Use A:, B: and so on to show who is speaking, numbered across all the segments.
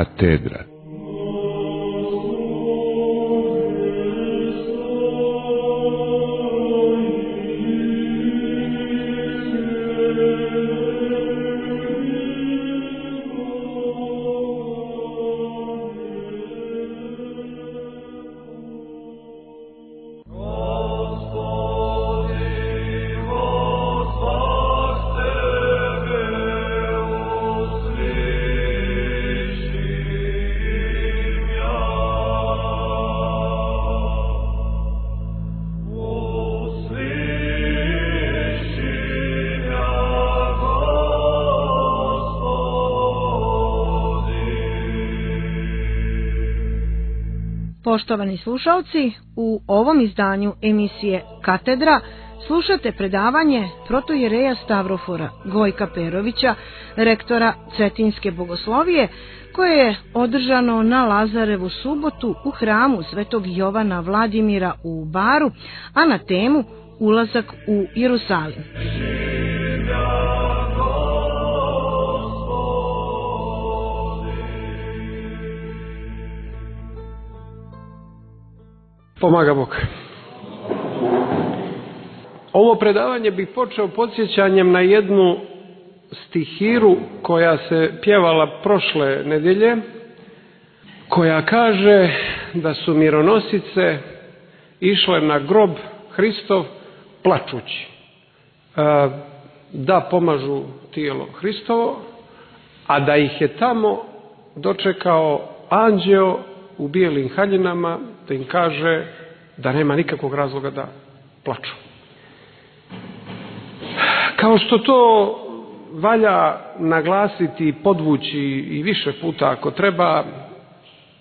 A: Katedra.
B: Poštovani slušalci, u ovom izdanju emisije Katedra slušate predavanje protojereja Stavrofora Gojka Perovića, rektora Cetinske bogoslovije, koje je održano na Lazarevu subotu u hramu Svetog Jovana Vladimira u Baru, a na temu Ulazak u Jerusalim.
C: Pomaga Bog. Ovo predavanje bih počeo podsjećanjem na jednu stihiru koja se pjevala prošle nedjelje, koja kaže da su mironosice išle na grob Hristov plačući, da pomažu tijelo Hristovo, a da ih je tamo dočekao anđeo u bijelim haljinama, da im kaže da nema nikakvog razloga da plaču. Kao što to valja naglasiti i podvući i više puta ako treba,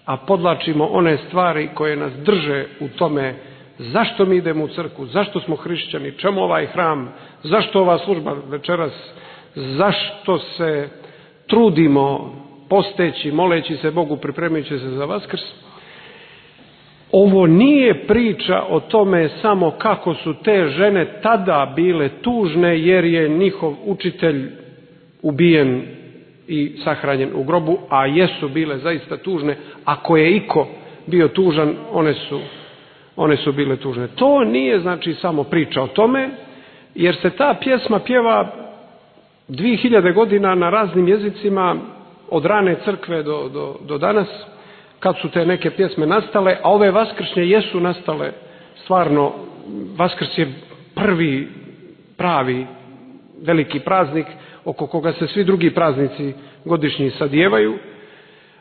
C: a podlačimo one stvari koje nas drže u tome zašto mi idemo u crkvu, zašto smo hrišćani, čemu ovaj hram, zašto ova služba večeras, zašto se trudimo posteći, moleći se Bogu, pripremajući se za Vaskrs. Ovo nije priča o tome samo kako su te žene tada bile tužne jer je njihov učitelj ubijen i sahranjen u grobu, a jesu bile zaista tužne. Ako je iko bio tužan, one su bile tužne. To nije znači samo priča o tome, jer se ta pjesma pjeva 2000 godina na raznim jezicima, od rane crkve do danas, kad su te neke pjesme nastale, a ove vaskršnje jesu nastale stvarno. Vaskrs je prvi pravi veliki praznik oko koga se svi drugi praznici godišnji sadijevaju.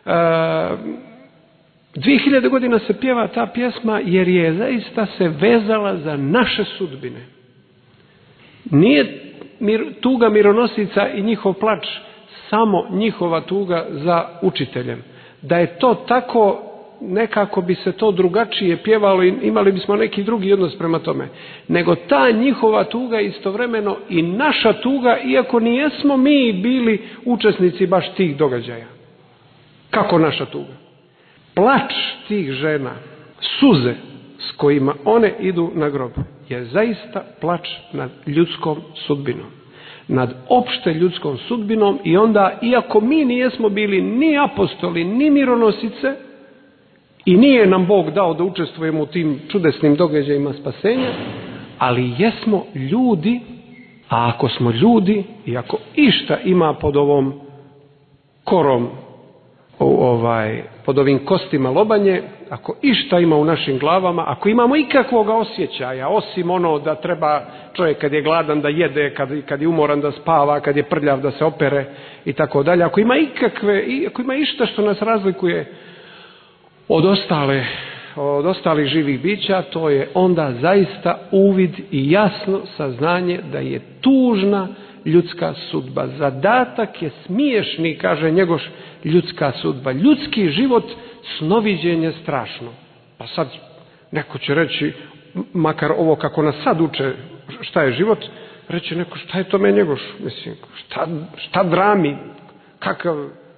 C: 2000 godina se pjeva ta pjesma jer je zaista se vezala za naše sudbine. Nije tuga mironosica i njihov plač samo njihova tuga za učiteljem. Da je to tako, nekako bi se to drugačije pjevalo i imali bismo neki drugi odnos prema tome. Nego ta njihova tuga istovremeno i naša tuga, iako nijesmo mi bili učesnici baš tih događaja. Kako naša tuga? Plač tih žena, suze s kojima one idu na grob, je zaista plač nad ljudskom sudbinom. Nad opšte ljudskom sudbinom. I onda, iako mi nijesmo bili ni apostoli, ni mironosice, i nije nam Bog dao da učestvujemo u tim čudesnim događajima spasenja, ali jesmo ljudi, a ako smo ljudi i ako išta ima pod ovom korom, pod ovim kostima lobanje, ako išta ima u našim glavama, ako imamo ikakvog osjećaja, osim ono da treba čovjek kad je gladan da jede, kad je umoran da spava, kad je prljav da se opere i tako dalje, ako ima išta što nas razlikuje od ostalih živih bića, to je onda zaista uvid i jasno saznanje da je tužna ljudska sudba. Zadatak je smiješni, kaže Njegoš, ljudska sudba. Ljudski život, snoviđenje strašno. Pa sad neko će reći, makar ovo kako nas sad uče šta je život, reći neko šta je tome Njegoš, mislim, šta drami,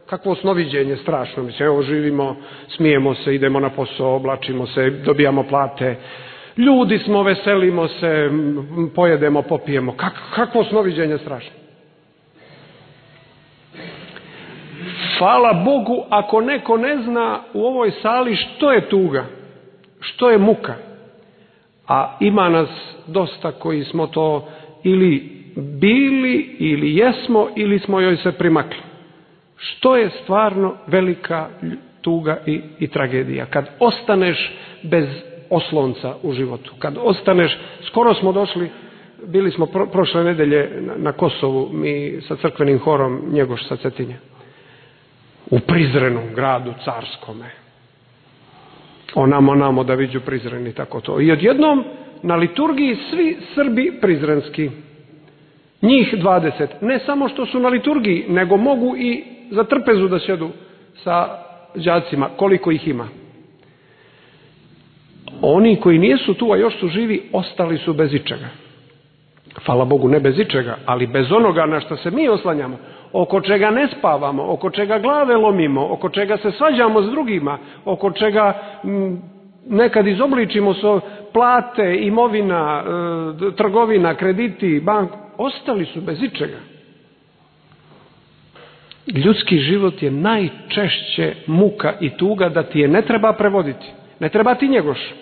C: kakvo snoviđenje strašno, mislim, evo živimo, smijemo se, idemo na posao, oblačimo se, dobijamo plate, ljudi smo, veselimo se, pojedemo, popijemo. Kakvo snoviđenje strašno. hvala Bogu ako neko ne zna u ovoj sali što je tuga, što je muka. A ima nas dosta koji smo to ili bili, ili jesmo, ili smo joj se primakli. Što je stvarno velika tuga i tragedija? Kad ostaneš bez oslonca u životu, kad ostaneš, skoro smo došli, bili smo prošle nedelje na Kosovu, mi sa crkvenim horom Njegoš sa Cetinja, u Prizrenom gradu carskome. Onamo da viđu Prizren i tako to. I odjednom na liturgiji svi Srbi prizrenski. Njih 20. Ne samo što su na liturgiji, nego mogu i za trpezu da sjedu sa đacima, koliko ih ima. Oni koji nisu tu, a još su živi, ostali su bez ičega. Hvala Bogu, ne bez ičega, ali bez onoga na što se mi oslanjamo, oko čega ne spavamo, oko čega glave lomimo, oko čega se svađamo s drugima, oko čega nekad izobličimo plate, imovina, trgovina, krediti, bank, ostali su bez ičega. Ljudski život je najčešće muka i tuga da ti je ne treba prevoditi. Ne treba ti Njegoš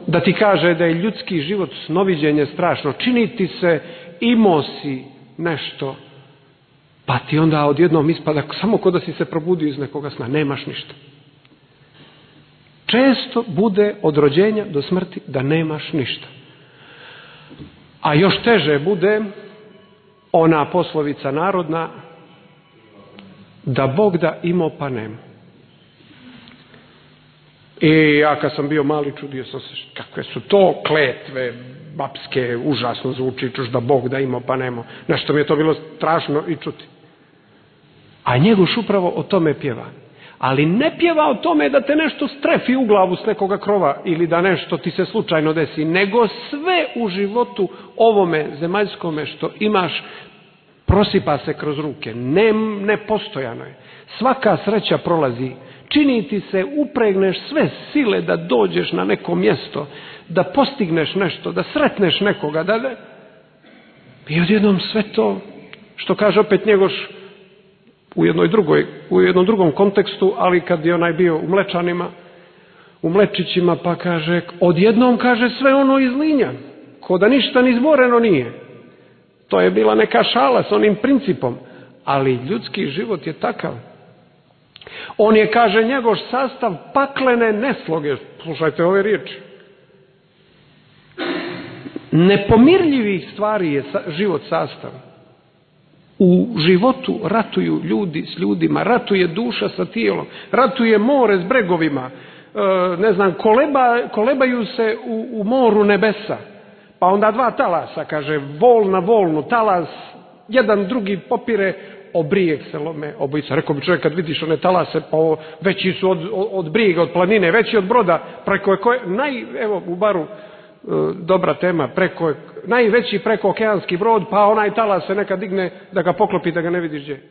C: da ti kaže da je ljudski život snoviđenje strašno. Čini ti se, imao si nešto, pa ti onda odjednom ispada samo ko da si se probudio iz nekoga sna. Nemaš ništa. Često bude od rođenja do smrti da nemaš ništa. A još teže bude ona poslovica narodna da Bog da imao pa nema. I ja kad sam bio mali čudio sam se kakve su to kletve babske, užasno zvuči, čuš da Bog da imao pa nema. Nešto mi je to bilo strašno i čuti. A Njegoš upravo o tome pjeva. Ali ne pjeva o tome da te nešto strefi u glavu s nekoga krova ili da nešto ti se slučajno desi, nego sve u životu ovome zemaljskome što imaš prosipa se kroz ruke. Nepostojano je. Svaka sreća prolazi. Čini ti se, upregneš sve sile da dođeš na neko mjesto, da postigneš nešto, da sretneš nekoga, i odjednom sve to, što kaže opet Njegoš u jednom drugom kontekstu, ali kad je onaj bio u Mlečanima, u Mlečićima, pa kaže, odjednom kaže sve ono izlinja, ko da ništa ni izboreno nije. To je bila neka šala s onim principom, ali ljudski život je takav. On je, kaže Njegoš, sastav paklene nesloge. Slušajte ove riječi. Nepomirljivih stvari je život sastav. U životu ratuju ljudi s ljudima, ratuje duša sa tijelom, ratuje more s bregovima, kolebaju se u moru nebesa. Pa onda dva talasa, kaže, vol na volnu, talas, jedan drugi popire, o brijeg se lome obojica. Rekao bi čovjek, kad vidiš one talase, pa veći su od brijega, od planine, veći od broda, preko koje, evo u baru, dobra tema, najveći preko okeanski brod, pa onaj talas se nekad digne da ga poklopi, da ga ne vidiš gdje.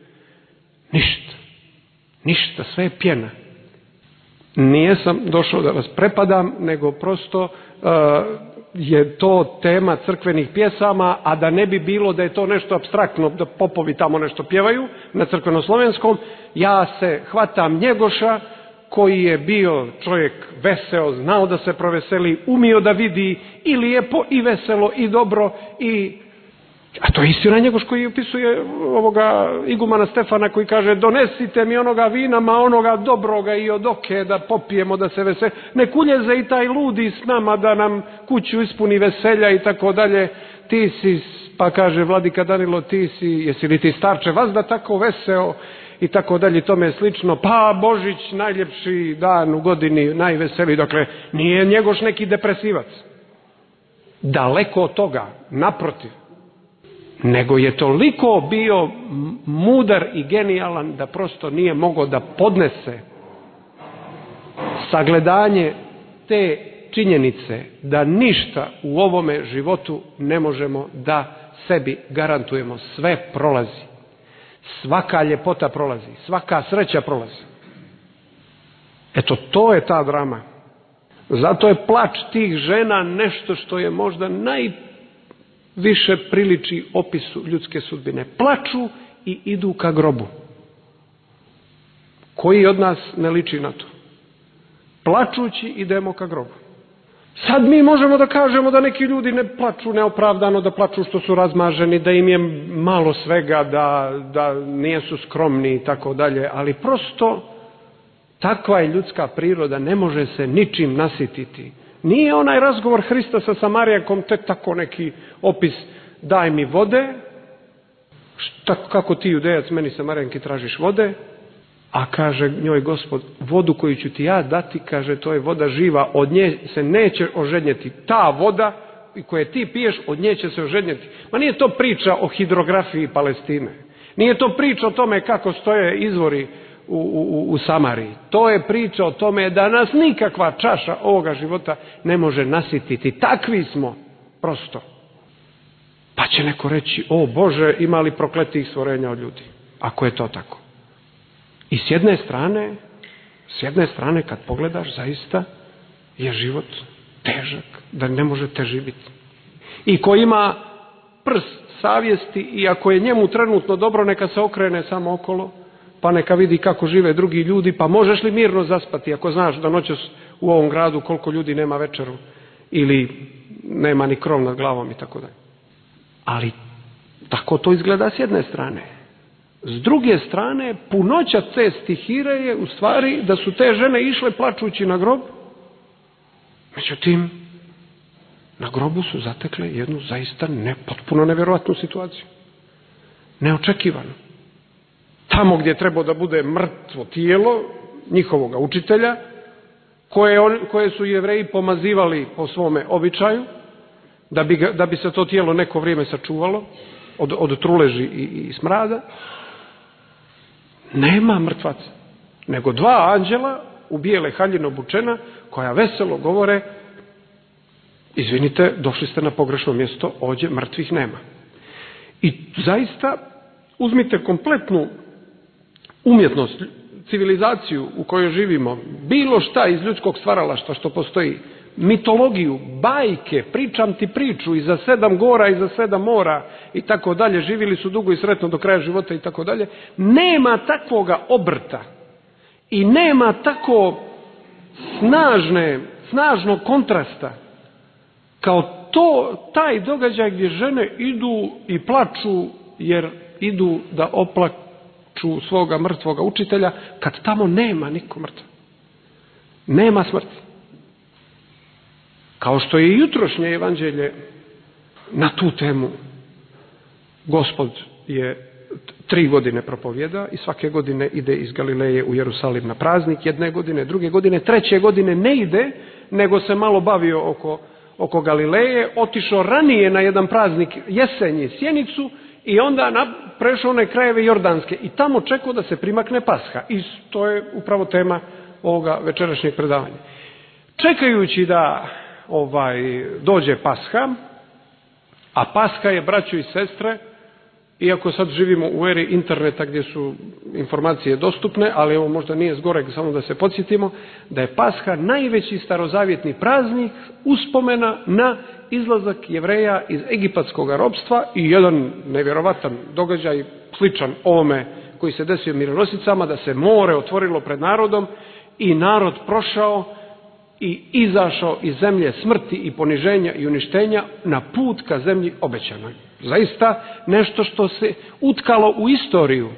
C: Ništa, sve je pjena. Nijesam došao da vas prepadam, nego prosto je to tema crkvenih pjesama, a da ne bi bilo da je to nešto apstraktno, da popovi tamo nešto pjevaju na crkvenoslovenskom, ja se hvatam Njegoša, koji je bio čovjek veseo, znao da se proveseli, umio da vidi i lijepo i veselo i dobro a to je istina Njegoš koji opisuje ovoga igumana Stefana koji kaže, donesite mi onoga vina, ma onoga dobroga i od oke da popijemo, da se veseli. Nek uljeze i taj ludi s nama da nam kuću ispuni veselja i tako dalje. Ti si, pa kaže vladika Danilo, ti si, jesi li ti starče vazda tako veseo i tako dalje, tome slično. Pa Božić, najljepši dan u godini, najveseliji. Dakle, nije Njegoš neki depresivac. Daleko od toga, naprotiv. Nego je toliko bio mudar i genijalan da prosto nije mogao da podnese sagledanje te činjenice da ništa u ovome životu ne možemo da sebi garantujemo. Sve prolazi. Svaka ljepota prolazi. Svaka sreća prolazi. Eto, to je ta drama. Zato je plač tih žena nešto što je možda najviše priliči opisu ljudske sudbine. Plaču i idu ka grobu. Koji od nas ne liči na to? Plačući idemo ka grobu. Sad mi možemo da kažemo da neki ljudi ne plaču neopravdano, da plaču što su razmaženi, da im je malo svega, da nisu skromni i tako dalje, ali prosto takva je ljudska priroda, ne može se ničim nasititi. Nije onaj razgovor Hrista sa Samarijankom te tako neki opis, daj mi vode, kako ti Judejac meni Samarijanki tražiš vode, a kaže njoj Gospod, vodu koju ću ti ja dati, kaže, to je voda živa, od nje se neće ožednjeti. Ta voda koju ti piješ, od nje će se ožednjeti. Ma nije to priča o hidrografiji Palestine. Nije to priča o tome kako stoje izvori u Samariji. To je priča o tome da nas nikakva čaša ovoga života ne može nasititi. Takvi smo, prosto. Pa će neko reći, o Bože, ima li prokletih stvorenja od ljudi? Ako je to tako. I s jedne strane kad pogledaš, zaista je život težak, da ne može teži biti. I ko ima prst savjesti i ako je njemu trenutno dobro, neka se okrene samo okolo, pa neka vidi kako žive drugi ljudi, pa možeš li mirno zaspati ako znaš da noćas u ovom gradu koliko ljudi nema večeru ili nema ni krov nad glavom i tako dalje. Ali tako to izgleda s jedne strane. S druge strane, punoća te stihire je u stvari da su te žene išle plačući na grob. Međutim, na grobu su zatekle jednu zaista potpuno nevjerojatnu situaciju. Neočekivano. Tamo gdje je trebao da bude mrtvo tijelo njihovoga učitelja, koje su Jevreji pomazivali po svome običaju, da bi se to tijelo neko vrijeme sačuvalo od truleži i smrada, nema mrtvaca, nego dva anđela u bijele haljine obučena, koja veselo govore, izvinite, došli ste na pogrešno mjesto, ovdje mrtvih nema. I zaista, uzmite kompletnu umjetnost, civilizaciju u kojoj živimo, bilo šta iz ljudskog stvaralaštva što postoji, mitologiju, bajke, pričam ti priču, i za 7 gora i za 7 mora i tako dalje, živjeli su dugo i sretno do kraja života i tako dalje, nema takvoga obrta i nema tako snažnog kontrasta kao taj događaj gdje žene idu i plaču jer idu da oplaču svoga mrtvoga učitelja, kad tamo nema niko mrtva. Nema smrti. Kao što je jutrošnje evanđelje na tu temu. Gospod je 3 godine propovjeda i svake godine ide iz Galileje u Jerusalim na praznik, jedne godine, druge godine, treće godine ne ide, nego se malo bavio oko Galileje, otišao ranije na jedan praznik jesenji Sjenicu i onda prešao one krajeve Jordanske i tamo čekao da se primakne Pasha. I to je upravo tema ovoga večerašnjeg predavanja. Čekajući da dođe Pasha, a Pasha je, braćo i sestre, iako sad živimo u eri interneta gdje su informacije dostupne, ali ovo možda nije zgoreg, samo da se podsjetimo, da je Pasha najveći starozavjetni praznik uspomena na izlazak Jevreja iz egipatskog ropstva i jedan nevjerovatan događaj, sličan ovome koji se desio mironosicama, da se more otvorilo pred narodom i narod prošao i izašao iz zemlje smrti i poniženja i uništenja na put ka zemlji obećanoj. Zaista nešto što se utkalo u istoriju,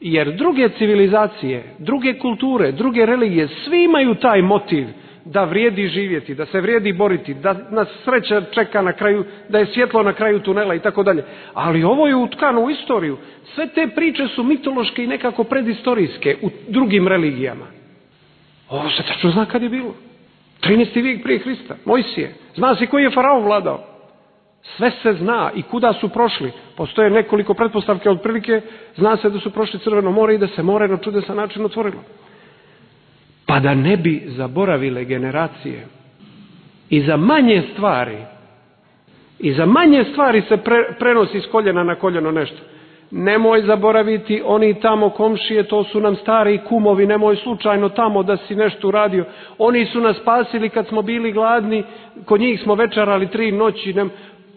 C: jer druge civilizacije, druge kulture, druge religije, svi imaju taj motiv da vrijedi živjeti, da se vrijedi boriti, da nas sreća čeka na kraju, da je svjetlo na kraju tunela i tako dalje. Ali ovo je utkano u istoriju. Sve te priče su mitološke i nekako predistorijske u drugim religijama. Ovo se tačno zna kad je bilo. 13. vijek prije Hrista, Mojsije. Zna se koji je faraon vladao. Sve se zna i kuda su prošli. Postoje nekoliko pretpostavke, otprilike zna se da su prošli Crveno more i da se more na čudesan način otvorilo. Pa da ne bi zaboravile generacije i za manje stvari se prenosi s koljena na koljeno nešto. Nemoj zaboraviti, oni tamo komšije, to su nam stari kumovi, nemoj slučajno tamo da si nešto uradio. Oni su nas spasili kad smo bili gladni, kod njih smo večerali 3 noći.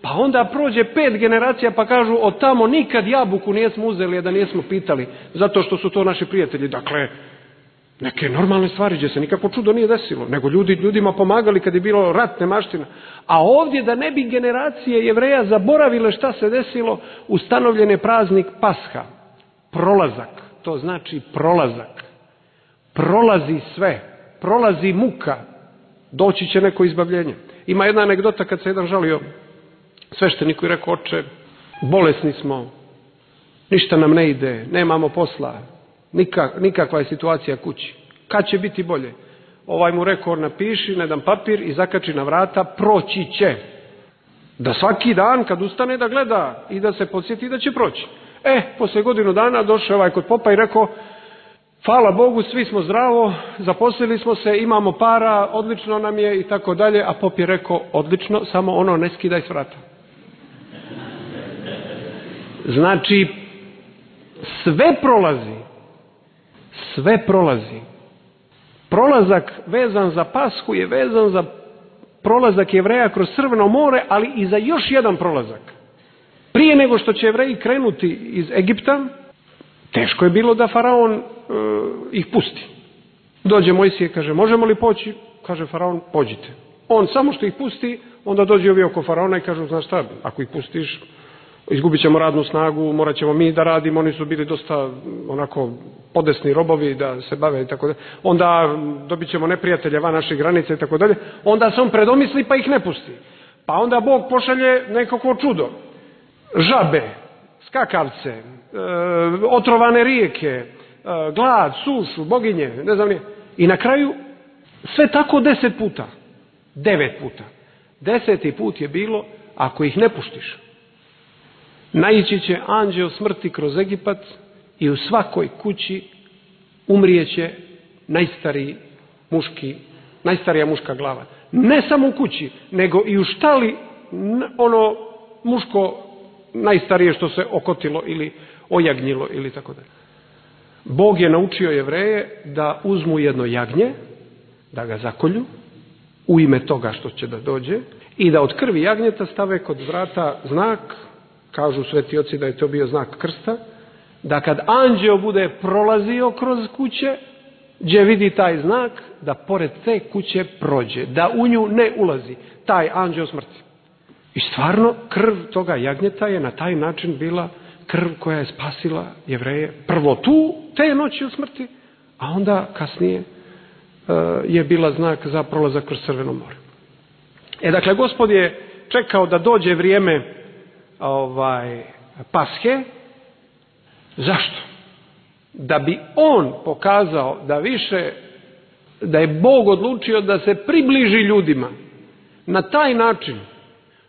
C: Pa onda prođe 5 generacija pa kažu, od tamo nikad jabuku nijesmo uzeli, a da nijesmo pitali, zato što su to naši prijatelji. Dakle, Neke normalne stvari gdje se nikakvo čudo nije desilo, nego ljudima pomagali kad je bilo rat, nemaština. A ovdje, da ne bi generacije Jevreja zaboravile šta se desilo, ustanovljen je praznik Pasha. Prolazak, to znači prolazak. Prolazi sve, prolazi muka, doći će neko izbavljenje. Ima jedna anegdota kad se jedan žalio svešteniku i rekao: oče, bolesni smo, ništa nam ne ide, nemamo posla, nikakva je situacija kući. Kad će biti bolje? Ovaj mu rekao: napiši na jedan papir i zakači na vrata, proći će. Da svaki dan kad ustane da gleda i da se podsjeti da će proći. Poslije godinu dana došao ovaj kod popa i rekao: hvala Bogu, svi smo zdravo, zaposlili smo se, imamo para, odlično nam je i tako dalje. A pop je rekao: odlično, samo ono ne skidaj s vrata. Znači, sve prolazi. Prolazak vezan za Pashu je vezan za prolazak Jevreja kroz Crveno more, ali i za još jedan prolazak. Prije nego što će Jevreji krenuti iz Egipta, teško je bilo da faraon ih pusti. Dođe Mojsije i kaže: možemo li poći? Kaže faraon: pođite. On samo što ih pusti, onda dođe ovi oko faraona i kažu: znaš šta, ako ih pustiš, izgubit ćemo radnu snagu, morat ćemo mi da radimo, oni su bili dosta onako podesni robovi da se bave i tako dalje. Onda dobit ćemo neprijatelje van naših granica i tako dalje. Onda se on predomisli pa ih ne pusti. Pa onda Bog pošalje nekako čudo. Žabe, skakavce, otrovane rijeke, glad, sušu, boginje, ne znam nije. I na kraju sve tako 10 puta. 9 puta. 10. put je bilo: ako ih ne puštiš, naići će anđeo smrti kroz Egipat i u svakoj kući umrijeće najstarija muška glava. Ne samo u kući, nego i u štali ono muško najstarije što se okotilo ili ojagnjilo ili tako dalje. Bog je naučio Jevreje da uzmu jedno jagnje, da ga zakolju u ime toga što će da dođe i da od krvi jagnjeta stave kod vrata znak. Kažu sveti oci da je to bio znak krsta, da kad anđeo bude prolazio kroz kuće, gdje vidi taj znak, da pored te kuće prođe, da u nju ne ulazi taj anđeo smrti. I stvarno, krv toga jagnjeta je na taj način bila krv koja je spasila Jevreje. Prvo te noći od smrti, a onda kasnije je bila znak za prolazak kroz Crveno more. Dakle, Gospod je čekao da dođe vrijeme Pashe. Zašto? Da bi on pokazao da je Bog odlučio da se približi ljudima na taj način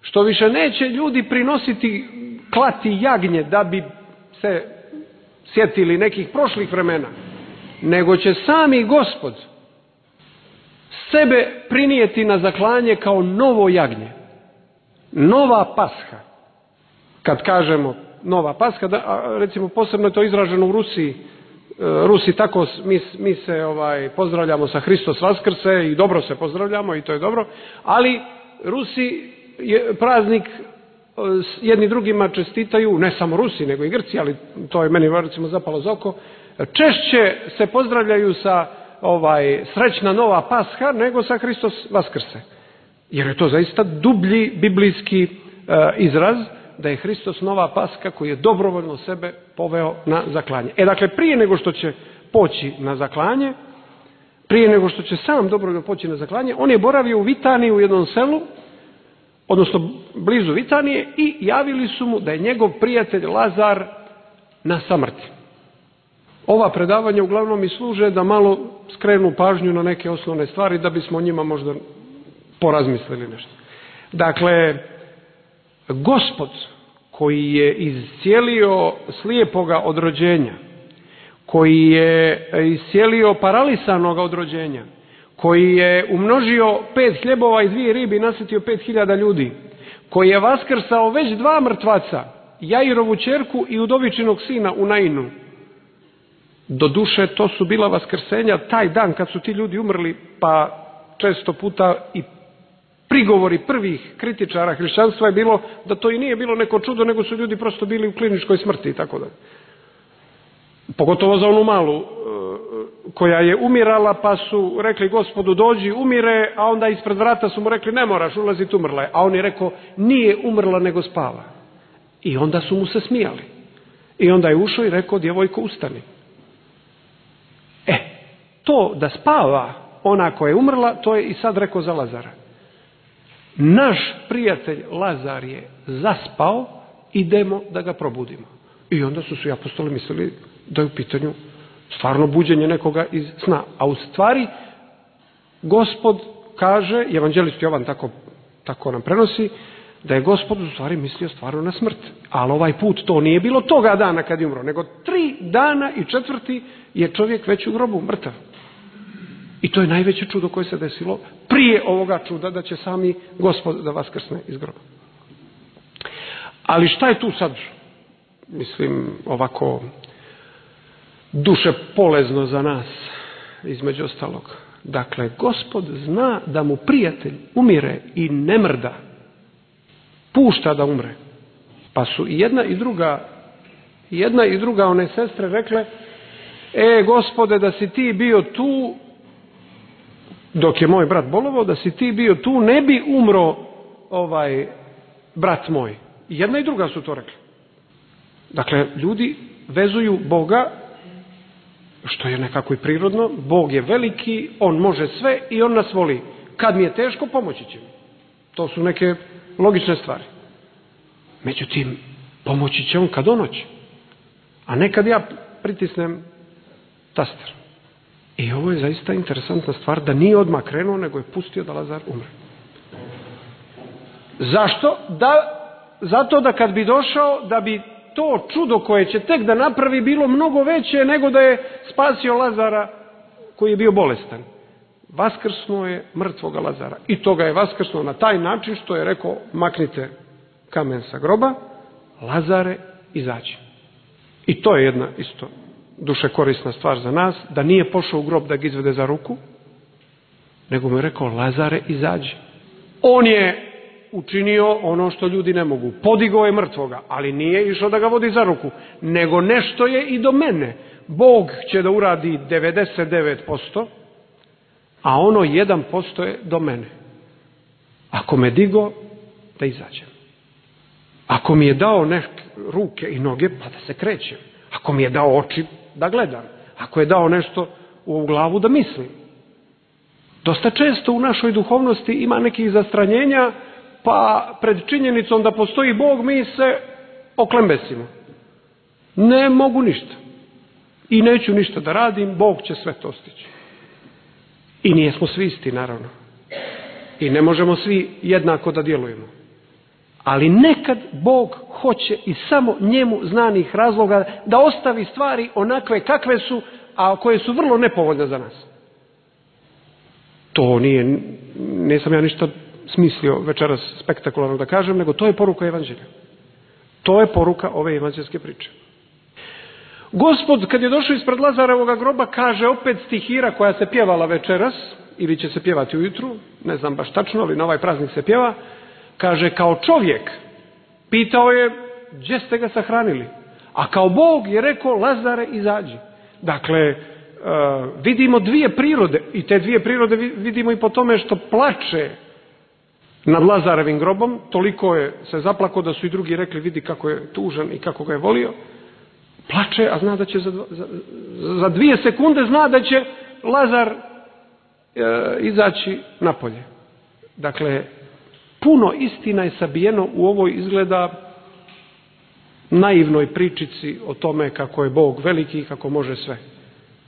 C: što više neće ljudi klati jagnje da bi se sjetili nekih prošlih vremena, nego će sami Gospod sebe prinijeti na zaklanje kao novo jagnje. Nova Pasha. Kad kažemo nova Pasha, recimo posebno je to izraženo u Rusiji. Rusi tako, mi se pozdravljamo sa Hristos Vaskrse i dobro se pozdravljamo i to je dobro, ali Rusi praznik jedni drugima čestitaju, ne samo Rusi nego i Grci, ali to je meni recimo zapalo za oko, češće se pozdravljaju sa srećna nova Pasha nego sa Hristos Vaskrse. Jer je to zaista dublji biblijski izraz da je Hristos nova Pasha koji je dobrovoljno sebe poveo na zaklanje. Dakle, prije nego što će poći na zaklanje, prije nego što će sam dobrovoljno poći na zaklanje, on je boravio u Vitaniji u jednom selu, odnosno blizu Vitanije, i javili su mu da je njegov prijatelj Lazar na samrti. Ova predavanja uglavnom i služe da malo skrenu pažnju na neke osnovne stvari, da bismo o njima možda porazmislili nešto. Dakle, Gospod koji je iscijelio slijepoga od rođenja, koji je iscijelio paralisanoga od rođenja, koji je umnožio 5 hljebova i 2 ribe i nasjetio 5.000 ljudi, koji je vaskrsao već 2 mrtvaca, Jairovu ćerku i udovičinog sina u Nainu. Doduše, to su bila vaskrsenja taj dan kad su ti ljudi umrli, pa često puta i prigovori prvih kritičara hrišćanstva je bilo da to i nije bilo neko čudo, nego su ljudi prosto bili u kliničkoj smrti i tako dalje. Pogotovo za onu malu koja je umirala, pa su rekli Gospodu dođi, umire, a onda ispred vrata su mu rekli ne moraš ulaziti, umrla je. A on je rekao nije umrla nego spava. I onda su mu se smijali. I onda je ušao i rekao djevojko ustani. To da spava ona koja je umrla, to je i sad rekao za Lazara. Naš prijatelj Lazar je zaspao, idemo da ga probudimo. I onda su svi apostoli mislili da je u pitanju stvarno buđenje nekoga iz sna. A u stvari, Gospod kaže, evanđelist Jovan tako nam prenosi, da je Gospod u stvari mislio stvarno na smrt. Ali ovaj put to nije bilo toga dana kad je umro, nego 3 dana i 4. je čovjek već u grobu, mrtav. I to je najveće čudo koje se desilo prije ovoga čuda da će sami Gospod da vaskrsne iz groba. Ali šta je tu sad, mislim, ovako duše polezno za nas, između ostalog? Dakle, Gospod zna da mu prijatelj umire i ne mrda. Pušta da umre. Pa su i jedna i druga one sestre rekle, Gospode, da si ti bio tu, dok je moj brat bolovao, da si ti bio tu, ne bi umro brat moj. I jedna i druga su to rekli. Dakle, ljudi vezuju Boga, što je nekako i prirodno, Bog je veliki, on može sve i on nas voli. Kad mi je teško, pomoći će mi. To su neke logične stvari. Međutim, pomoći će on kad on hoće. A ne kad ja pritisnem taster. I ovo je zaista interesantna stvar, da nije odmah krenuo, nego je pustio da Lazar umre. Zašto? Zato da kad bi došao, da bi to čudo koje će tek da napravi bilo mnogo veće nego da je spasio Lazara koji je bio bolestan. Vaskrsnuo je mrtvoga Lazara. I to ga je vaskrsnuo na taj način što je rekao maknite kamen sa groba, Lazare izađi. I to je jedna isto duše korisna stvar za nas, da nije pošao u grob da ga izvede za ruku, nego mu je rekao Lazare izađi. On je učinio ono što ljudi ne mogu. Podigao je mrtvoga, ali nije išao da ga vodi za ruku, nego nešto je i do mene. Bog će da uradi 99%, a ono 1% je do mene. Ako me digo, da izađem. Ako mi je dao neke ruke i noge, pa da se krećem. Ako mi je dao oči, da gledam. Ako je dao nešto u glavu, da mislim. Dosta često u našoj duhovnosti ima nekih zastranjenja, pa pred činjenicom da postoji Bog mi se oklembesimo. Ne mogu ništa. I neću ništa da radim, Bog će sve to stići. I nijesmo svi isti, naravno. I ne možemo svi jednako da djelujemo. Ali nekad Bog hoće iz samo njemu znanih razloga da ostavi stvari onakve kakve su, a koje su vrlo nepovoljne za nas. To nisam ja ništa smislio večeras spektakularno da kažem, nego to je poruka evanđelja. To je poruka ove evanđelske priče. Gospod, kad je došao ispred Lazarevoga groba, kaže opet stihira koja se pjevala večeras, ili će se pjevati ujutru, ne znam baš tačno, ali na ovaj praznik se pjeva, kaže kao čovjek, pitao je gdje ste ga sahranili, a kao Bog je rekao Lazare izađi. Dakle, vidimo dvije prirode i te dvije prirode vidimo i po tome što plače nad Lazarevim grobom, toliko je se zaplako da su i drugi rekli vidi kako je tužan i kako ga je volio. Plače, a zna da će za 2 sekunde zna da će Lazar izaći napolje. Dakle, puno istina je sabijeno u ovoj izgleda naivnoj pričici o tome kako je Bog veliki i kako može sve.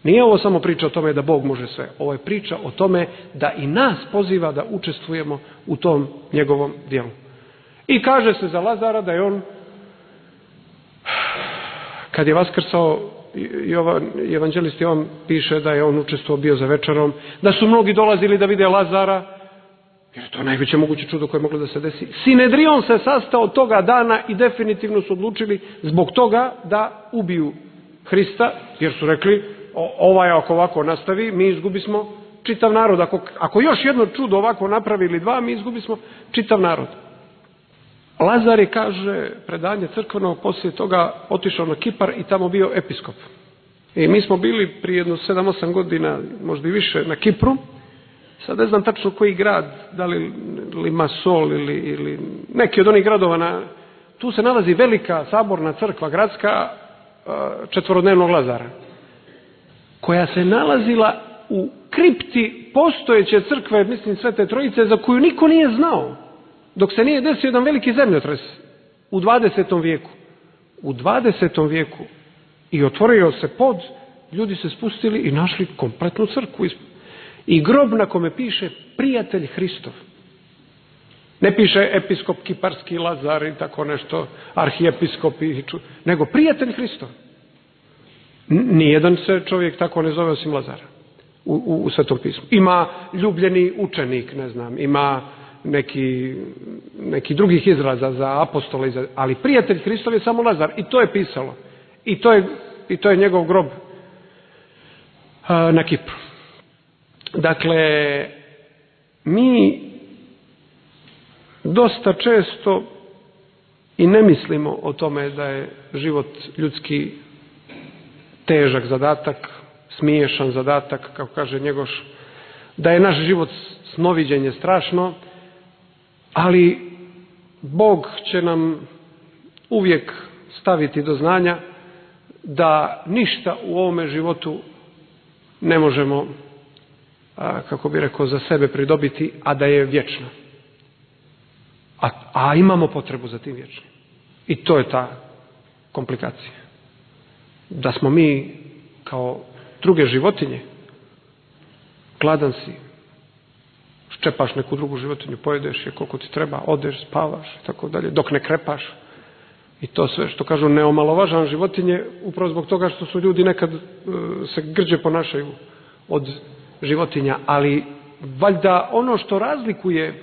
C: Nije ovo samo priča o tome da Bog može sve. Ovo je priča o tome da i nas poziva da učestvujemo u tom njegovom djelu. I kaže se za Lazara da je on, kad je vaskrsao, evanđelist Jovan piše da je on učestvovao bio za večerom, da su mnogi dolazili da vide Lazara, jer je to najveće moguće čudo koje je moglo da se desi. Sinedrion se sastao toga dana i definitivno su odlučili zbog toga da ubiju Hrista, jer su rekli ako ovako nastavi, mi izgubismo čitav narod. Ako još jedno čudo ovako napravi ili 2, mi izgubismo čitav narod. Lazar je, kaže predanje crkveno, poslije toga otišao na Kipar i tamo bio episkop. I mi smo bili prije jedno 7-8 godina, možda i više, na Kipru. Sad ne znam tačno koji grad, da li Limassol ili neki od onih gradova. Tu se nalazi velika saborna crkva gradska Četvorodnevnog Lazara, koja se nalazila u kripti postojeće crkve, mislim Svete Trojice, za koju niko nije znao, dok se nije desio jedan veliki zemljotres u 20. vijeku. U 20. vijeku. I otvorio se pod, ljudi se spustili i našli kompletnu crkvu. I grob na kome piše prijatelj Hristov. Ne piše episkop Kiparski Lazar i tako nešto, arhijepiskop, nego prijatelj Hristov. Nijedan se čovjek tako ne zove osim Lazara u Svetom pismu. Ima ljubljeni učenik, ne znam, ima neki drugih izraza za apostole, ali prijatelj Hristov je samo Lazar. I to je pisalo. I to je njegov grob na Kipru. Dakle, mi dosta često i ne mislimo o tome da je život ljudski težak zadatak, smiješan zadatak, kako kaže Njegoš, da je naš život snoviđenje strašno, ali Bog će nam uvijek staviti do znanja da ništa u ovome životu ne možemo, kako bi rekao, za sebe pridobiti, a da je vječno. A imamo potrebu za tim vječnim. I to je ta komplikacija. Da smo mi kao druge životinje, gladan si, ščepaš neku drugu životinju, pojedeš je koliko ti treba, odeš, spavaš i tako dalje, dok ne krepaš. I to sve što kažu ne omalovažavam životinje, upravo zbog toga što su ljudi nekad se grđe ponašaju od životinja, ali valjda ono što razlikuje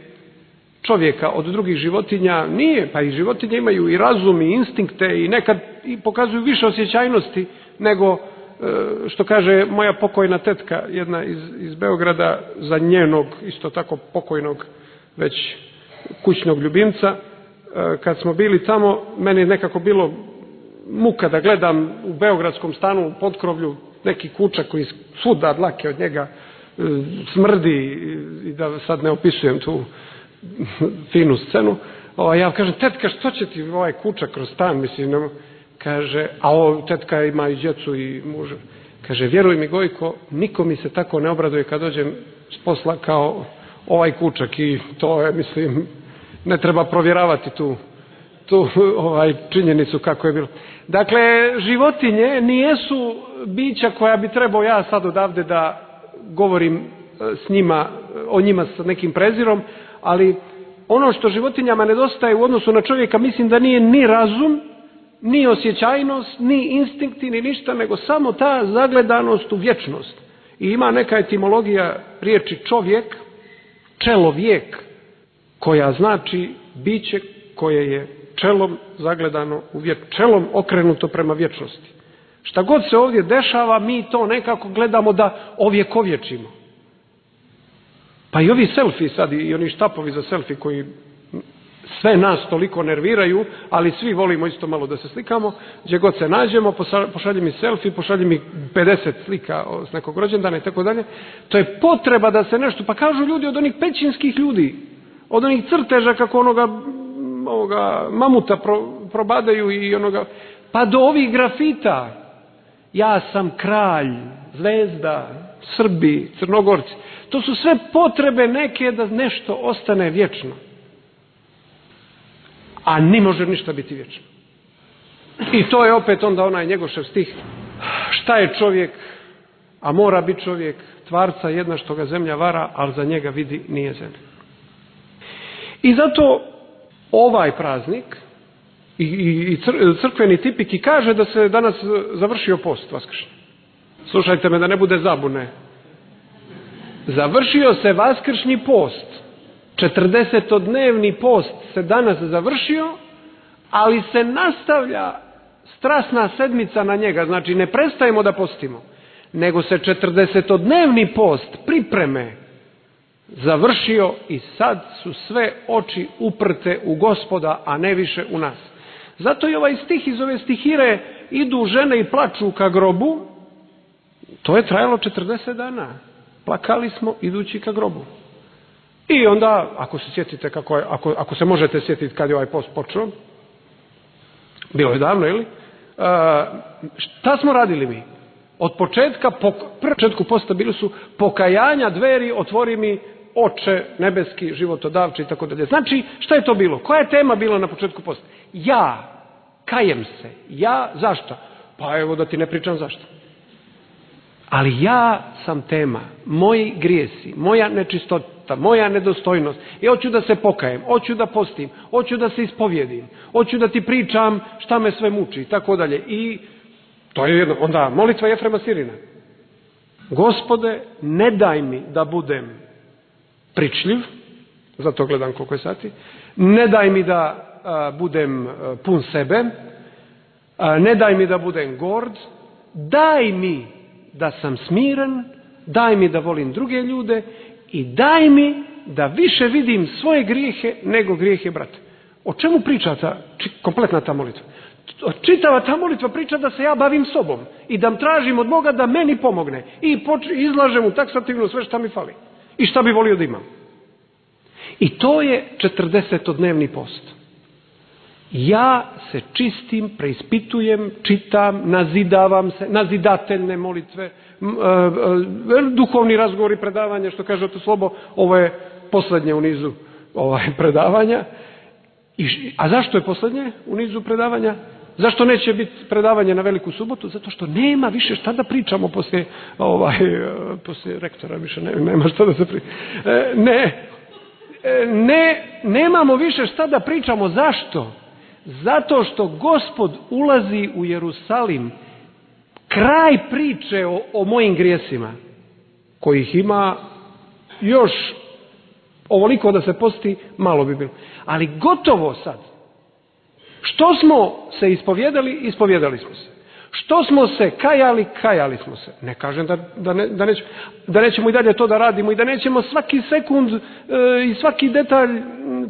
C: čovjeka od drugih životinja nije, pa i životinje imaju i razum i instinkte i nekad i pokazuju više osjećajnosti nego što kaže moja pokojna tetka, jedna iz Beograda, za njenog isto tako pokojnog već kućnog ljubimca. Kad smo bili tamo, meni je nekako bilo muka da gledam u beogradskom stanu u potkrovlju neki kučak koji svuda dlake od njega smrdi i da sad ne opisujem tu finu scenu. Ja kažem, tetka, što će ti ovaj kučak kroz stan, mislim, kaže, a tetka ima i djecu i muža. Kaže, vjeruj mi Gojko, niko mi se tako ne obraduje kad dođem s posla kao ovaj kučak i to je, mislim, ne treba provjeravati tu činjenicu kako je bilo. Dakle, životinje nijesu bića koja bi trebao ja sad odavde da govorim s njima, o njima sa nekim prezirom, ali ono što životinjama nedostaje u odnosu na čovjeka, mislim da nije ni razum, ni osjećajnost, ni instinkti, ni ništa, nego samo ta zagledanost u vječnost. I ima neka etimologija riječi čovjek, čelovijek, koja znači biće koje je čelom zagledano u čelom okrenuto prema vječnosti. Šta god se ovdje dešava, mi to nekako gledamo da ovjekovječimo. Pa i ovi selfie sad i oni štapovi za selfie koji sve nas toliko nerviraju, ali svi volimo isto malo da se slikamo, gdje god se nađemo, pošalji mi selfie, pošalji mi 50 slika s nekog rođendana i tako dalje. To je potreba da se nešto, pa kažu ljudi od onih pećinskih ljudi, od onih crteža kako onoga mamuta probadaju i onoga, pa do ovih grafita. Ja sam kralj, zvezda, Srbi, Crnogorci. To su sve potrebe neke da nešto ostane vječno. A ni može ništa biti vječno. I to je opet onda onaj Njegošev stih. Šta je čovjek, a mora biti čovjek, tvarca jedna što ga zemlja vara, ali za njega vidi nije zemlja. I zato ovaj praznik i crkveni tipik i kaže da se danas završio post vaskršnji. Slušajte me da ne bude zabune. Završio se vaskršnji post. 40-dnevni post se danas završio, ali se nastavlja strasna sedmica na njega. Znači ne prestajemo da postimo, nego se 40-dnevni post pripreme završio i sad su sve oči uprte u Gospoda, a ne više u nas. Zato i ovaj stih iz ove stihire idu žene i plaču ka grobu, To je trajalo 40 dana. Plakali smo idući ka grobu. I onda, ako se sjetite ako se možete sjetiti kad je ovaj post počeo, bilo je davno, ili? Šta smo radili mi? Od početku posta bili su pokajanja, dveri, otvori mi Oče nebeski, životodavče i tako dalje. Znači, šta je to bilo? Koja je tema bila na početku posta? Ja, kajem se. Ja, zašto? Pa evo da ti ne pričam zašto. Ali ja sam tema, moji grijesi, moja nečistota, moja nedostojnost. I hoću da se pokajem, hoću da postim, hoću da se ispovjedim, hoću da ti pričam šta me sve muči i tako dalje. I to je jedno. Onda molitva Jefrema Sirina. Gospode, ne daj mi da budem pričljiv, zato gledam koliko je sati, ne daj mi da budem pun sebe, ne daj mi da budem gord, daj mi da sam smiren, daj mi da volim druge ljude i daj mi da više vidim svoje grijehe nego grijehe brata. O čemu priča kompletna ta molitva? Čitava ta molitva priča da se ja bavim sobom i da tražim od Boga da meni pomogne i izlažem mu taksativno sve šta mi fali i šta bi volio da imam. I to je 40-dnevni post. Ja se čistim, preispitujem, čitam, nazidavam se, nazidateljne molitve, duhovni razgovori, predavanja, što kaže Otac Slobo, ovo je poslednje u nizu predavanja. A zašto je poslednje u nizu predavanja? Zašto neće biti predavanje na Veliku subotu? Zato što nema više šta da pričamo poslije rektora, više nema šta da se priča. Nemamo više šta da pričamo. Zašto? Zato što Gospod ulazi u Jerusalim. Kraj priče o mojim grijesima, kojih ima još ovoliko da se posti, malo bi bilo. Ali gotovo sad. Što smo se ispovjedali smo se. Što smo se kajali smo se. Ne kažem da nećemo i dalje to da radimo i da nećemo svaki sekund i svaki detalj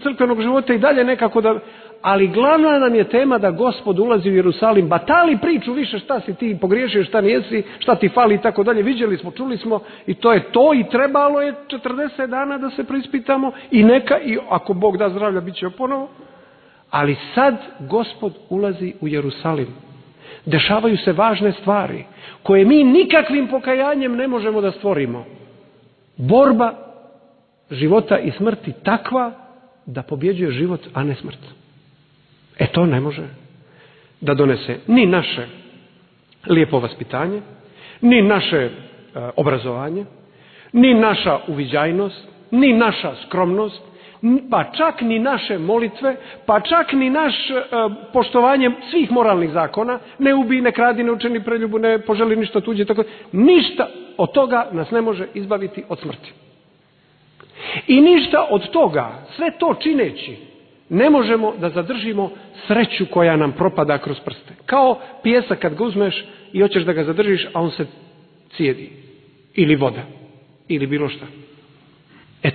C: crkvenog života i dalje nekako da... Ali glavna nam je tema da Gospod ulazi u Jerusalim. Batali priču više šta si ti pogriješio, šta nijesi, šta ti fali i tako dalje. Viđeli smo, čuli smo i to je to i trebalo je 40 dana da se preispitamo i ako Bog da zdravlja bit će ponovo. Ali sad Gospod ulazi u Jerusalim. Dešavaju se važne stvari koje mi nikakvim pokajanjem ne možemo da stvorimo. Borba života i smrti takva da pobjeđuje život, a ne smrt. To ne može da donese ni naše lijepo vaspitanje, ni naše obrazovanje, ni naša uviđajnost, ni naša skromnost, pa čak ni naše molitve, pa čak ni naš poštovanje svih moralnih zakona, ne ubij, ne kradi, ne učini preljubu, ne poželi ništa tuđe, tako ništa od toga nas ne može izbaviti od smrti. I ništa od toga, sve to čineći, ne možemo da zadržimo sreću koja nam propada kroz prste. Kao pijesak kad ga uzmeš i hoćeš da ga zadržiš, a on se cijedi. Ili voda. Ili bilo šta.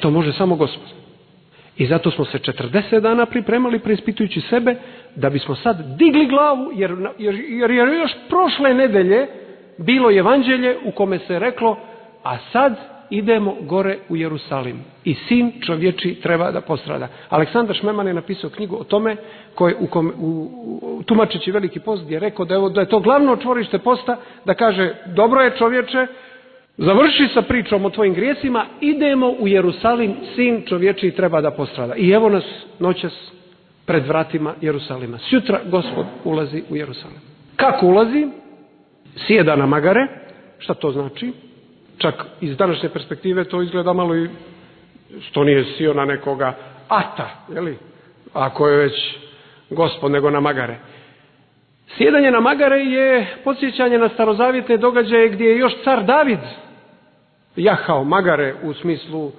C: To može samo Gospod. I zato smo se 40 dana pripremali preispitujući sebe da bismo sad digli glavu, jer je još prošle nedelje bilo evanđelje u kome se reklo, a sad idemo gore u Jerusalim i sin čovječi treba da postrada. Aleksandar Šmeman je napisao knjigu o tome, tumačeći Veliki post, gdje je rekao da je to glavno čvorište posta, da kaže, dobro je čovječe, završi sa pričom o tvojim grijesima, idemo u Jerusalim, sin čovječi treba da postrada. I evo nas noćas pred vratima Jerusalima. Sutra Gospod ulazi u Jerusalim. Kako ulazi? Sjeda na magare. Šta to znači? Čak iz današnje perspektive to izgleda malo i što nije sjeo na nekoga ata, jeli? Ako je već Gospod, nego na magare. Sjedanje na magare je podsjećanje na starozavjetne događaje gdje je još car David jahao magare u smislu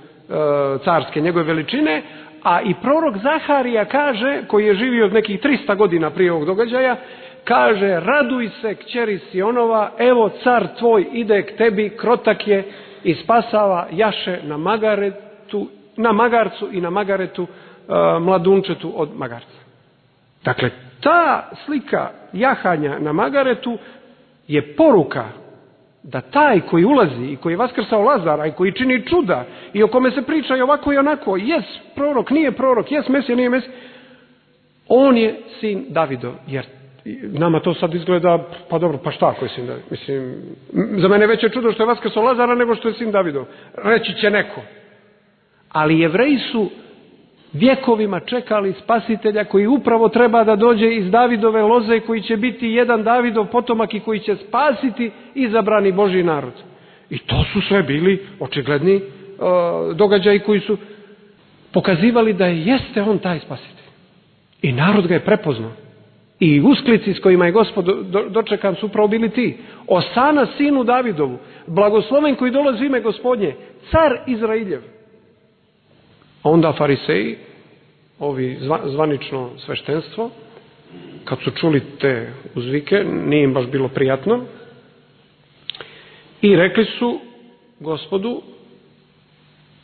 C: carske njegove veličine, a i prorok Zaharija kaže, koji je živio nekih 300 godina prije ovog događaja, kaže, raduj se kćeri Sionova, evo car tvoj ide k tebi, krotak je i spasava jaše na magarcu i na magaretu mladunčetu od magarca. Dakle, ta slika jahanja na magaretu je poruka da taj koji ulazi i koji je vaskrsao Lazara i koji čini čuda i o kome se priča i ovako i onako, jes prorok, nije prorok, jes Mesija, nije Mesija, on je sin Davidov. Jer nama to sad izgleda, pa dobro, pa šta ako je sin Davidov? Mislim, za mene veće čudo što je vaskrsao Lazara nego što je sin Davidov. Reći će neko. Ali Jevreji su vjekovima čekali spasitelja koji upravo treba da dođe iz Davidove loze, koji će biti jedan Davidov potomak i koji će spasiti izabrani Božji narod. I to su sve bili očigledni događaji koji su pokazivali da jeste on taj spasitelj. I narod ga je prepoznao. I usklici s kojima je Gospod dočekan su upravo bili ti. Osana sinu Davidovu, blagosloven koji dolazi u ime Gospodnje, car Izrailjev. A onda fariseji, ovi zvanično sveštenstvo, kad su čuli te uzvike, nije im baš bilo prijatno, i rekli su Gospodu,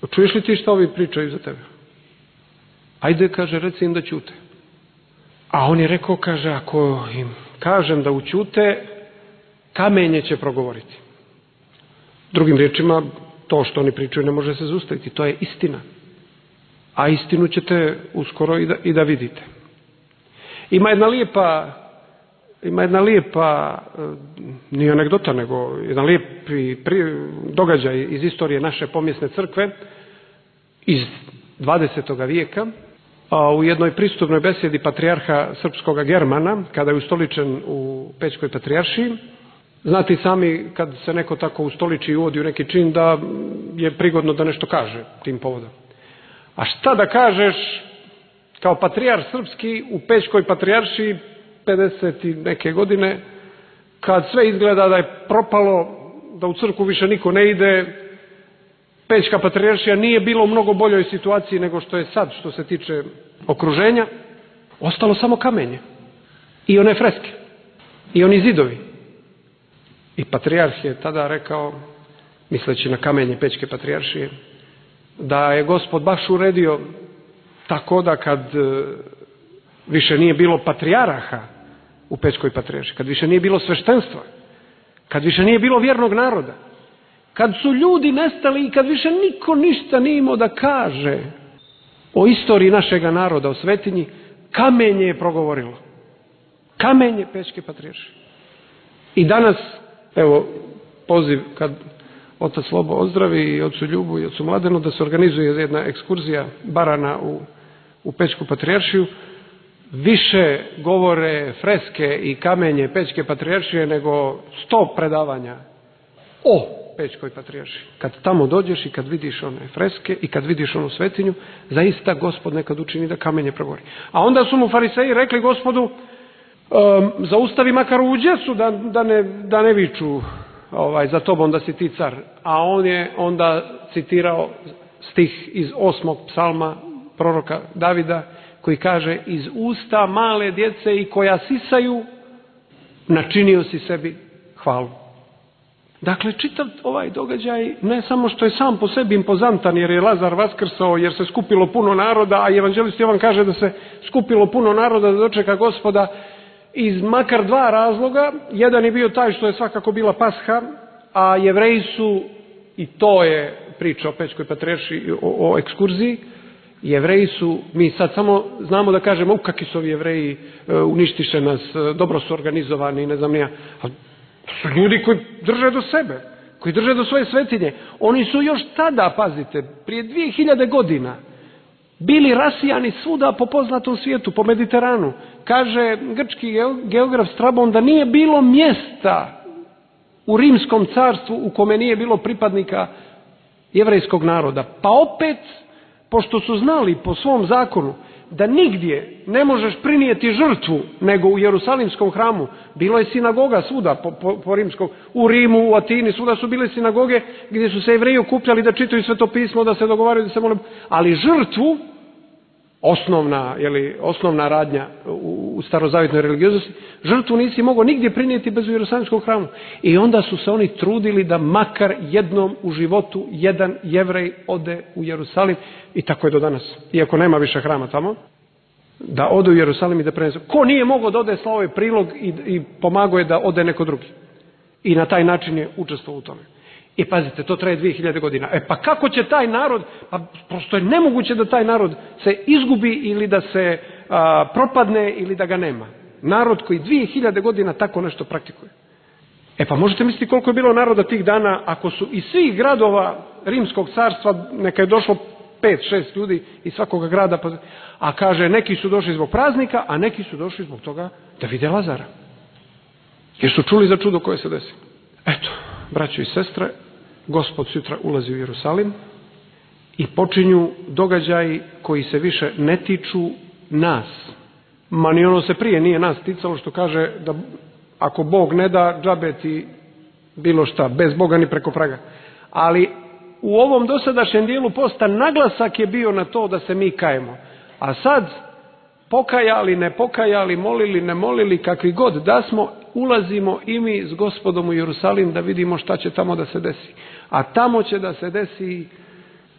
C: čuješ li ti šta ovi pričaju za tebe? Ajde, kaže, reci im da ćute. A on je rekao, kaže, ako im kažem da ućute, kamenje će progovoriti. Drugim riječima, to što oni pričaju ne može se zaustaviti, to je istina. A istinu ćete uskoro i da vidite. Ima jedna lijepa, nije anegdota, nego jedan lijepi događaj iz istorije naše pomjesne crkve iz 20. vijeka. U jednoj pristupnoj besjedi patrijarha srpskoga Germana, kada je ustoličen u Pećkoj patrijaršiji, znate i sami kad se neko tako ustoliči i uvodi u neki čin da je prigodno da nešto kaže tim povodom. A šta da kažeš kao patrijarh srpski u Pećkoj patrijaršiji 50 i neke godine, kad sve izgleda da je propalo, da u crkvu više niko ne ide, Pećka patrijaršija nije bilo u mnogo boljoj situaciji nego što je sad što se tiče okruženja, ostalo samo kamenje i one freske i oni zidovi. I patrijarh je tada rekao, misleći na kamenje Pećke patrijaršije, da je Gospod baš uredio tako da kad više nije bilo patrijaraha u Pećkoj patrijaršiji, kad više nije bilo sveštenstva, kad više nije bilo vjernog naroda, kad su ljudi nestali i kad više niko ništa nije imao da kaže o istoriji našega naroda, o svetinji, kamenje je progovorilo. Kamenje Pećke patrijaršije. I danas, evo, poziv kad otac Slobo ozdravi i ocu Ljubu i ocu Mladenu da se organizuje jedna ekskurzija barana u Pećku patrijaršiju, više govore freske i kamenje Pećke patrijaršije nego 100 predavanja o Pećkoj patrijaršiji. Kad tamo dođeš i kad vidiš one freske i kad vidiš onu svetinju, zaista Gospod nekad učini da kamenje progovori. A onda su mu fariseji rekli Gospodu, zaustavi makar u djecu da ne viču za tobom da si ti car. A on je onda citirao stih iz 8. psalma proroka Davida koji kaže, iz usta male djece i koja sisaju načinio si sebi hvalu. Dakle, čitav ovaj događaj ne samo što je sam po sebi impozantan jer je Lazar vaskrsao, jer se skupilo puno naroda, a evanđelist Jovan kaže da se skupilo puno naroda da dočeka Gospoda iz makar 2 razloga. Jedan je bio taj što je svakako bila Pasha, a Jevreji su, i to je priča o Pećkoj patrijaršiji, o ekskurziji, Jevreji su, mi sad samo znamo da kažemo kakvi su ovi Jevreji, uništiše nas, dobro su organizovani, ne znam nija. To su ljudi koji drže do sebe, koji drže do svoje svetinje. Oni su još tada, pazite, prije 2000 godina bili rasijani svuda po poznatom svijetu, po Mediteranu. Kaže grčki geograf Strabon da nije bilo mjesta u Rimskom carstvu u kome nije bilo pripadnika jevrejskog naroda. Pa opet, pošto su znali po svom zakonu da nigdje ne možeš prinijeti žrtvu nego u Jerusalimskom hramu, bilo je sinagoga svuda po rimskom, u Rimu, u Atini, svuda su bile sinagoge gdje su se Jevreji okupljali da čitaju Sveto pismo, da se dogovaraju, da se mole, ali žrtvu, osnovna radnja u starozavjetnoj religioznosti, žrtvu nisi mogao nigdje prinijeti bez u Jerusalimskom hramu. I onda su se oni trudili da makar jednom u životu jedan Jevrej ode u Jerusalim, i tako je do danas, iako nema više hrama tamo, da ode u Jerusalim i da prenese. Ko nije mogao da ode, slao je prilog i pomagao je da ode neko drugi. I na taj način je učestvovao u tome. I pazite, to traje 2000 godina. Pa kako će taj narod, pa prosto je nemoguće da taj narod se izgubi ili da se propadne ili da ga nema. Narod koji 2000 godina tako nešto praktikuje. Pa možete misliti koliko je bilo naroda tih dana ako su iz svih gradova Rimskog carstva, neka je došlo 5-6 ljudi iz svakoga grada, a kaže neki su došli zbog praznika, a neki su došli zbog toga da vide Lazara. Jer su čuli za čudo koje se desi. Eto, braćo i sestre, Gospod sutra ulazi u Jerusalim i počinju događaji koji se više ne tiču nas. Ma ni ono se prije nije nas ticalo što kaže da ako Bog ne da, džabe ti bilo šta, bez Boga ni preko praga. Ali u ovom dosadašnjem dijelu posta naglasak je bio na to da se mi kajemo. A sad, pokajali, ne pokajali, molili, ne molili, kakvi god da smo, ulazimo i mi s Gospodom u Jerusalim da vidimo šta će tamo da se desi. A tamo će da se desi,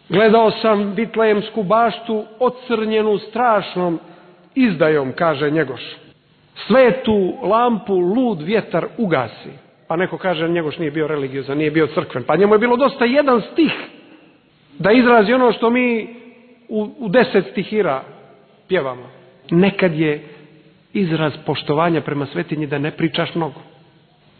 C: gledao sam Vitlejemsku baštu ocrnjenu strašnom izdajom, kaže Njegoš. Svetu lampu lud vjetar ugasi. Pa neko kaže Njegoš nije bio religiozan, nije bio crkven. Pa njemu je bilo dosta jedan stih da izrazi ono što mi u 10 stihira pjevamo. Nekad je izraz poštovanja prema svetinji da ne pričaš mnogo.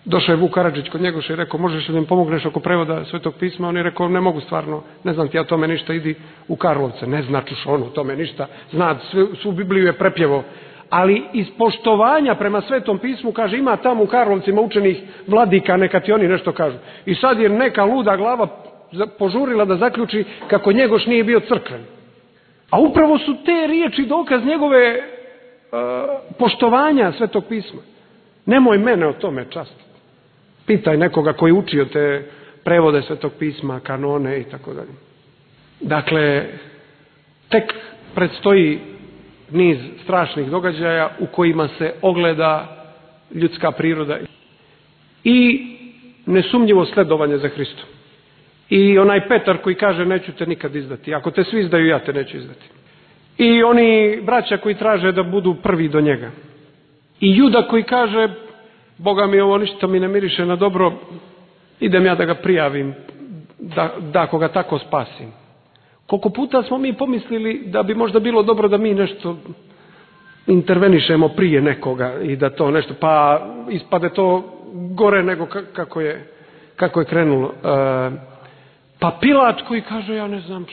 C: Došao je Vuk Karadžić kod Njegoša i rekao, možeš li da mi pomogneš oko prevoda Svetog pisma? On je rekao, ne mogu stvarno, ne znam ti ja tome ništa, idi u Karlovce. Ne značuš ono tome ništa, zna, svu Bibliju je prepjevo. Ali iz poštovanja prema Svetom pismu, kaže, ima tamo u Karlovcima učenih vladika, neka ti oni nešto kažu. I sad je neka luda glava požurila da zaključi kako Njegoš nije bio crkven. A upravo su te riječi dokaz njegove poštovanja Svetog pisma. Nemoj mene o tome častiti. Pitaj nekoga koji je učio te prevode Svetog pisma, kanone i tako dalje. Dakle, tek predstoji niz strašnih događaja u kojima se ogleda ljudska priroda i nesumnjivo sledovanje za Hristom. I onaj Petar koji kaže neću te nikad izdati. Ako te svi izdaju, ja te neću izdati. I oni braća koji traže da budu prvi do njega. I Juda koji kaže, Boga mi ovo ništa mi ne miriše na dobro, idem ja da ga prijavim, da ako ga tako spasim. Koliko puta smo mi pomislili da bi možda bilo dobro da mi nešto intervenišemo prije nekoga i da to nešto, pa ispade to gore nego kako je krenulo. Pa Pilat koji kaže, ja ne znam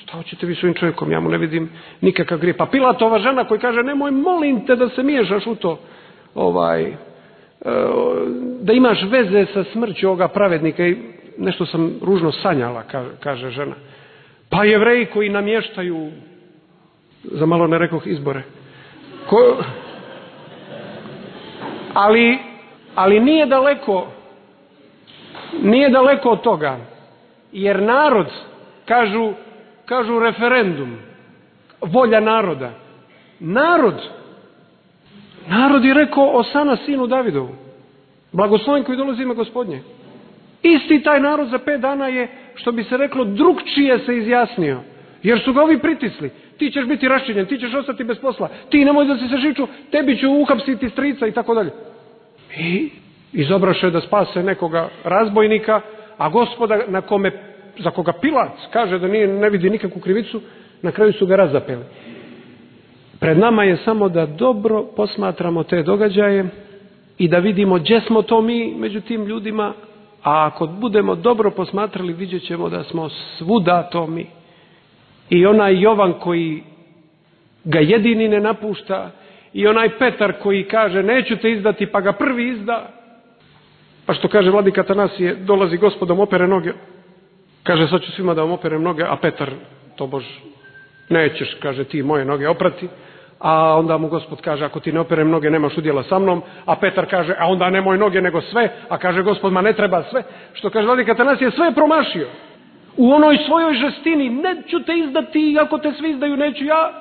C: šta hoćete vi s ovim čovjekom, ja mu ne vidim nikakav grijeh. Pa Pilatova žena koji kaže, nemoj molim te da se miješaš u to, da imaš veze sa smrću ovoga pravednika i nešto sam ružno sanjala, kaže žena. Pa Jevreji koji namještaju, za malo ne rekoh izbore, ali nije daleko od toga, jer narod, kažu referendum, volja naroda. Narod je rekao Osana sinu Davidovu, blagosloven koji dolazi ime Gospodnje. Isti taj narod za 5 dana je, što bi se reklo, drugčije se izjasnio. Jer su ga ovi pritisli. Ti ćeš biti raščinjen, ti ćeš ostati bez posla, ti nemoj da se žiču, tebi ću uhapsiti strica i tako dalje. I izobraše da spase nekoga razbojnika, a Gospoda za koga Pilat kaže da ne vidi nikakvu krivicu, na kraju su ga razapeli. Pred nama je samo da dobro posmatramo te događaje i da vidimo gdje smo to mi među tim ljudima, a ako budemo dobro posmatrali, vidjet ćemo da smo svuda to mi. I onaj Jovan koji ga jedini ne napušta, i onaj Petar koji kaže neću te izdati, pa ga prvi izda, pa što kaže vladika Atanasije, dolazi Gospodom, opere noge, kaže sad ću svima da vam operem noge, a Petar, tobož, nećeš, kaže, ti moje noge oprati, a onda mu Gospod kaže, ako ti ne operem noge, nemaš udjela sa mnom, a Petar kaže, a onda nemoj noge nego sve, a kaže Gospod, ma ne treba sve, što kaže vladika Atanasije, sve je promašio. U onoj svojoj žestini, neću te izdati, ako te svi izdaju, neću ja,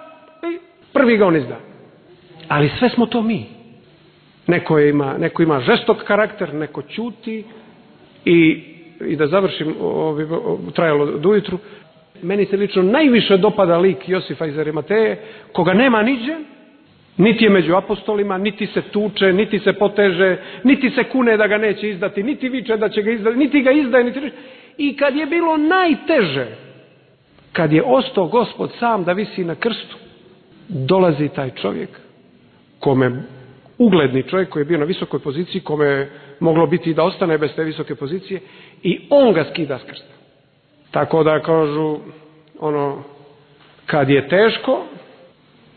C: i prvi ga on izda. Ali sve smo to mi. Neko ima žestok karakter, neko ćuti i da završim, trajalo do ujutru, meni se lično najviše dopada lik Josifa iz Arimateje, koga nema niđe, Niti je među apostolima, niti se tuče, niti se poteže, niti se kune da ga neće izdati, niti viče da će ga izdati, niti ga izdaje, niti... I kad je bilo najteže, kad je ostao Gospod sam da visi na krstu, dolazi taj čovjek, kome ugledni čovjek koji je bio na visokoj poziciji, kome je moglo biti da ostane bez te visoke pozicije, i on ga skida s krsta. Tako da kažu, kad je teško,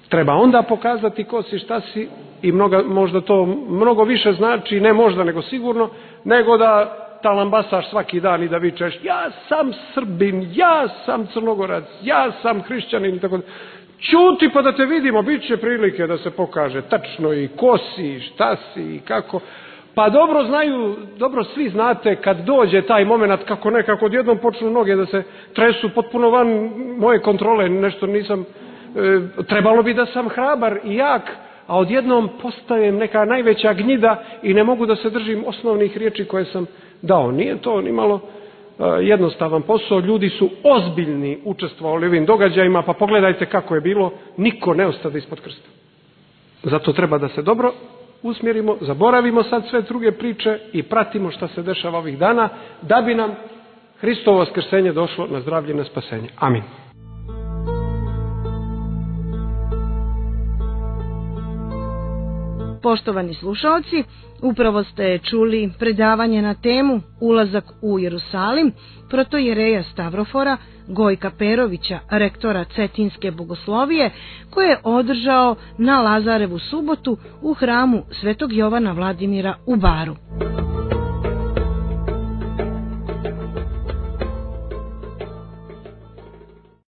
C: treba onda pokazati ko si, šta si, i možda to mnogo više znači, ne možda nego sigurno, nego da talambasaš svaki dan i da vičeš ja sam Srbin, ja sam Crnogorac, ja sam hrišćanin i tako da. Ćuti pa da te vidimo, bit će prilike da se pokaže tačno i ko si, šta si i kako. Pa dobro znaju, dobro svi znate kad dođe taj moment kako nekako odjednom počnu noge da se tresu potpuno van moje kontrole, nešto nisam, trebalo bi da sam hrabar i jak, a odjednom postajem neka najveća gnjida i ne mogu da se držim osnovnih riječi koje sam dao. Nije to ni malo jednostavan posao, ljudi su ozbiljni učestvovali u ovim događajima, pa pogledajte kako je bilo, niko ne ostade ispod krsta. Zato treba da se dobro usmjerimo, zaboravimo sad sve druge priče i pratimo šta se dešava ovih dana, da bi nam Hristovo vaskrsenje došlo na zdravlje i na spasenje. Amin.
B: Poštovani slušalci, upravo ste čuli predavanje na temu Ulazak u Jerusalim protojereja Stavrofora Gojka Perovića, rektora Cetinske bogoslovije, koje je održao na Lazarevu subotu u hramu Svetog Jovana Vladimira u Baru.